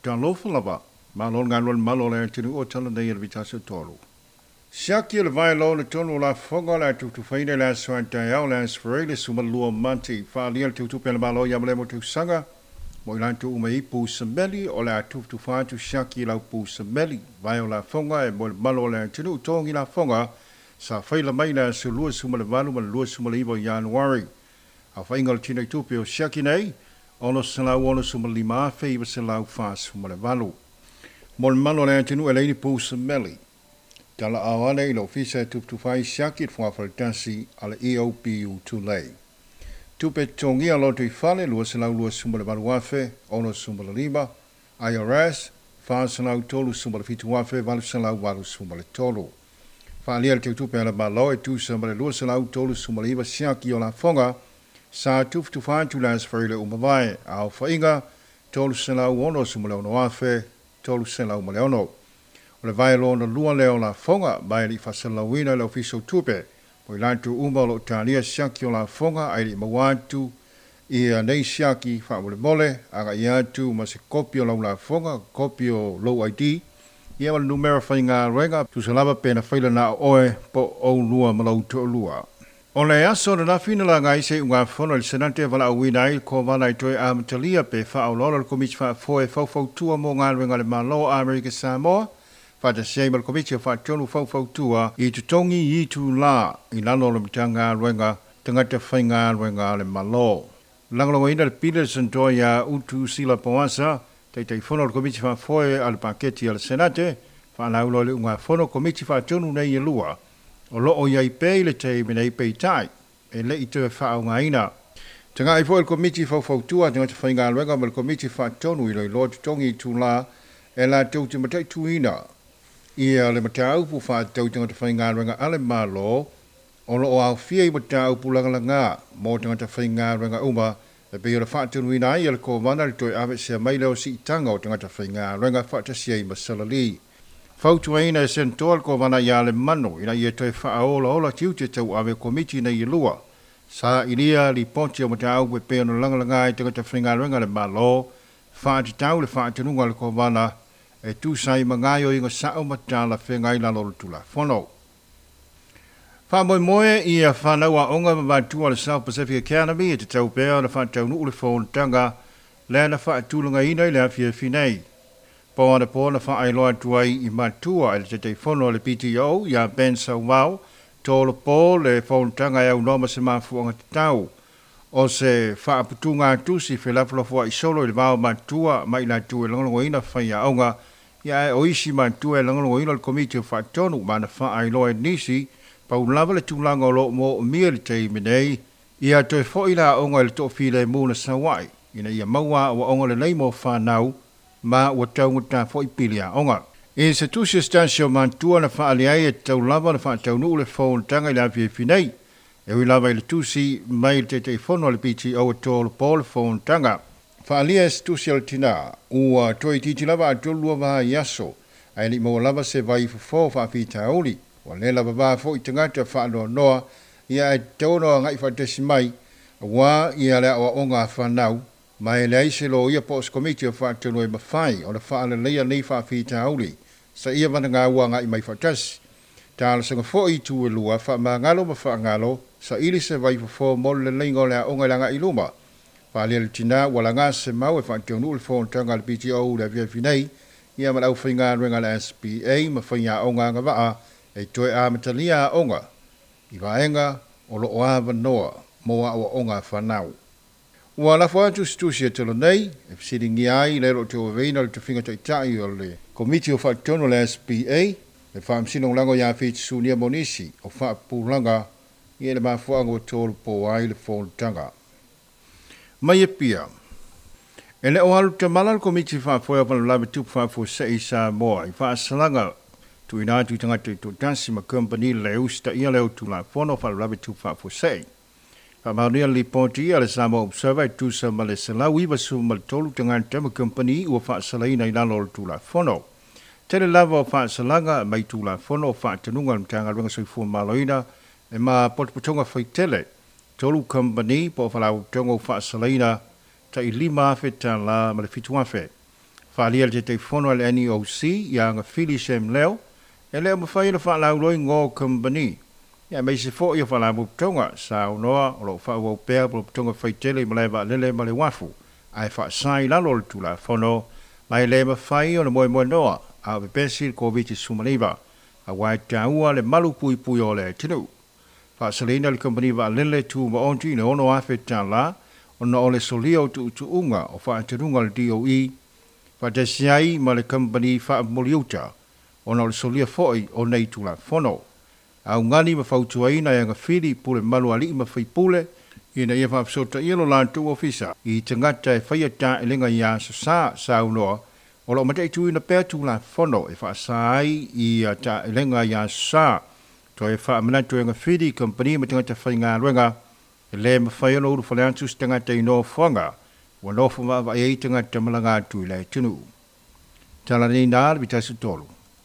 Talofa lava, malo le galue i le malu o le atunuu o tala nei e le Vitasi o Tolu. Siaki o le vaeloa le tonu o lafoga o le a tutufaina i le aso a taeao le Aso Faraile 12 o Mati. Faaalia le teutupe a le Malo ia malemo tausaga mo i latou uma i pu sameli o le a tutufa atu siaki i lau pu sameli. Vae o lafoga e mo le malu o le atunuu togi lafoga sa faila mai le aso 28 ma le 29 o Ianuari. Aofaiga o le tino i tupe o siaki nei, 665,948. Mo le malu o le atunuu e leai ni pu sameli. Tala ao ane i le ofisa e tutufa ai siaki i le fogafale a le EOPU Tulei. Tupe totogia loto i fale 228,065, IRS 437,883. Faalia le teutupe a le Malo e tusa ma le 239 siaki o lafoga sa tufutufa atu le Aso Faraile ua mavae, aofaiga 366,306. O le vae lona lua lea o lafoga ma e le i faasalalauina e le Ofisa o Tupe mo i latou uma o lo o talia siaki o lafoga ae le i maua atu ia nei siaki faamolemole agai atu ma se kopi o lau lafoga, kopi o lou ID, ia ma le numera faigaluega, tusa lava pe na faila na o oe po o oulua ma lou toalua. O le aso ananafi na laga ai se iugafono i le Senate e valaauina ai le Kovana i toe amatalia pe faaoloolo le Komiti Faafoe Faufautua mo Galuega a le Malo o Amerika Samoa faatasi ai ma le Komiti o Faatonu Faufautua i totogi itulā i lalo o le Matagaluega Tagata Faigaluega a le Malo. Lagolagoina le pili a le Senator ia Utu Sila Poasa, Taitaifono o le Komiti Faafoe a le Paketi a le Senate, faalauiloa i le iugafono Komiti Faatonu nei e lua o lo o i ai pea i le taimi nei peitai e le i toe faaaogaina. Tagai foi le Komiti Faufautua a Tagata Faigaluega ma le Komiti Faatonu i iloiloa totogi itulā e latou te mataituina ia le mataupu faatatau i tagata faigaluega a le Malo o lo o aofia i mataupu lagalaga mo tagata faigaluega uma e pei ona faatonuina ai e le Kovana le toe aveesea mai lea o siitaga o tagata faigaluega faatasi ai ma salali. Fautuaina e Senatoa le Kovana ia Lemanu ina ia toe faaolaola tiute tauave o Komiti nei e lua. Sailia lipoti o mataupu e pei ona lagalaga ai tagata faigaluega a le Malo faatatau le faatonuga a le Kovana e tusa ai ma gaoioiga sao ma talafeagai i lalo o le Tulafono. Faamoemoe ia fanau aoga ma matua o le South Pacific Academy e tatau pea ona faataunuu le fonotaga lea na faatulagaina i le afiafi nei. Po anapo na faailoa atu ai i matua e le Taitaifono a le PTO ia Ben Sauvao, tolopo le fonotaga e aunoa ma se mafuaaga tatau o se faaputuga tusi felafolafoai solo i le va o matua ma i latou e lagolagoina faiaoga ia ae o isi matua e lagolagoina le Komiti o Faatonu ma na faailoa e nisi pau lava le tulaga o lo o moomia i le taimi nei ia toe foi le aoga i le toafilemu na sau ai ina ia maua aoaoga lelei mo fanau ma ua taugata foi pili aoga. I se tusi a se tasi o matua na faaali ai e tatau lava ona faataunuu le fonotaga i le afiafi nei. E ui lava i le tusi mai le Taitaifono a le PTO e tolopo le fonotaga. Faaalia e se tusi a le tinā, ua toeitiiti lava a 32 vaiaso ae le i maua lava se vai fofo faafitauli. Ua le lava va foi tagata faanoanoa ia ae tatau ona agai faatasi mai aua ia le aoaoga a fanau ma e leai se loia po o se komiti o faatonu e mafai ona faaleleia nei faafitauli seia vagana ua agai mai faatasi. Talosaga foi i itu e lua, faamagalo ma faagalo, saili se vaifofo mo le leleiga o le aoga i le agai i luma. Faaalia le tinā ua laga se mau e faataunuu le fonotaga a le PTO i le afiafi nei ia ma le aufaigaluega a le SBA ma faiaoga agavaa e toe amatalia aoga i vaega o lo o avanoa mo aoaoga a fanau. Ua lafo atu se tusi e tala nei e fesiligia ai le o lo o tauaveina le tofiga taitai o le Komiti o Faatonu a le SBA, le Faamasino Lagolago ia Fiti Sunia mo nisi o faapupulaga i le mafuaaga ua tolopo ai le fonotaga. Mai Apia. E le o alu tamala le Komiti Faafoe o Faalavelave Tupu Faafuasei i Samoa i faasalaga tuuina atu i tagata taitoatasi ma kamupani le usitaia lea o Tulafono o Faalavelave Tupu Faafuasei. Faamaonia le lipoti a le Samoa Observer e tusa ma le 193 tagata ma kamupani ua faasalaina i lalo o le Tulafono. Tele lava o faasalaga mai Tulafono o faatonuga a le Matagaluega Soifua Maloloina e ma potopotoga faitele. 3 kamupani po o faalapotopotoga ua faasalaina tai $5,000 ma le $7,000. Faaalia e le Taitaifono a le NEOC ia Agafili Sam Leo, e le o mafai ona faalauiloa igoa o kamupani aemaise foi o faalapotopotoga saunoa o lo o faaauau pea potopotoga faitele i malae vaalele ma le uafu ae faasa i lalo o le Tulafono ma e le mafai ona moemoenoa a o pepesi le Koviti-19 aua e taua le malu puipui o le atunuu. Faasalaina le kamupani vaalele tumaoti i le $6,000 ona o le solia o tuutuuga o faatanuga a le DOE faatasi ai ma le kamupani faamomoliuta ona o le solia foi o nei Tulafono. Augani ma fautuaina e Agafili pule mamalu a alii ma faipule ina ia faafesootaia lo latou ofisa i tagata e faia taelega i aso Sa, saunoa o lo o mataituina pea Tulafono e faasa ai i taelega i aso Sa. Toe faamanatu e Agafili i kamupani ma tagata faigaluega e le mafai ona ulufale atu se tagata i nofoaga ua nofo vaavaai ai tagata malaga atu i le atunuu. Tala nei na le 1 3.